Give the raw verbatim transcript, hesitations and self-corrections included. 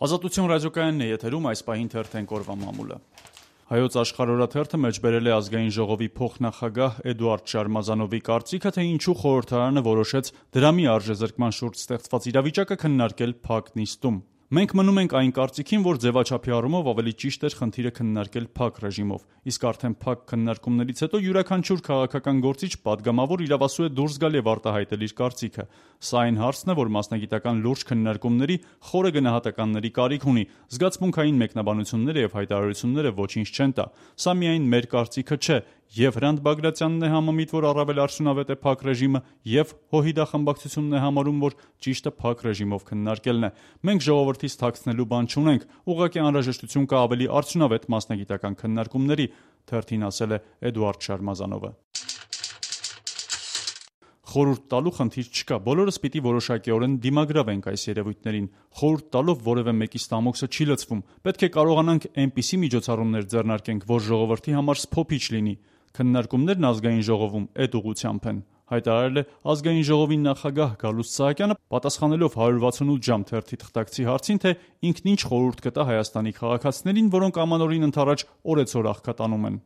Ազատություն ռադիոկայանն է եթերում, այս պահին թերթենք օրվա մամուլը։ Հայոց աշխարհօրաթերթը մեջ բերել է ազգային ժողովի փոխնախագահ Էդուարդ Շարմազանովի կարծիքը, թե ինչու խորհրդարանը որոշեց դրամի արժեզրկման շուրջ ստեղծված իրավիճակը քննարկել փակ նիստում։ Մենք մնում ենք այն կարծիքին, որ ձևաչափի առումով ավելի ճիշտ էր խնդիրը քննարկել փակ ռեժիմով, իսկ արդեն փակ քննարկումներից հետո յուրաքանչյուր քաղաքական գործիչ պատգամավոր իրավասու է դուրս գալ եւ արտահայտել իր կարծիքը։ Սա այն հարցն է, որ մասնագիտական լուրջ քննարկումների, խորը գնահատականների կարիք ունի, զգացմունքային մեկնաբանությունները եւ հայտարարությունները ոչինչ չեն տա։ Սա միայն մեր կարծիքը չէ, եւ Հրանտ Բագրատյանն է համամիտ, որ առավել արդյունավետ է փակ ռեժիմը, եւ Հոհիդա խմբակցությունն է համարում, որ ճիշտը փակ ռեժիմով քննարկելն է։ Մենք ժողովրդից թաքցնելու բան չունենք, ուղղակի անհրաժեշտություն կա ավելի արդյունավետ մասնագիտական քննարկումների, թերթին ասել է Էդուարդ Շարմազանովը։ Խորհուրդ տալու խնդիր չկա, բոլորս պիտի որոշակիորեն դիմագրավենք այս երևույթներին։ Խորհուրդ տալով որևէ մեկի ստամոքսը չի լցվում, պետք է կարողանանք այնպիսի միջոցառումներ ձեռնարկենք, որ ժողովրդի համար սփոփիչ լինի։ Քննարկումներն ազգային ժողովում այդ ուղղությամբ են, հայտարարել է ազգային ժողովի նախագահ Գալուստ Սահակյանը, պատասխանելով հարյուր վաթսունութ ժամ թերթի թղթակցի հարցին, թե ինքն ինչ խորհուրդ կտա Հայաստանի քաղաքացիներին, որոնք ամանորին ընդառաջ օրեցօր աղքատանում են։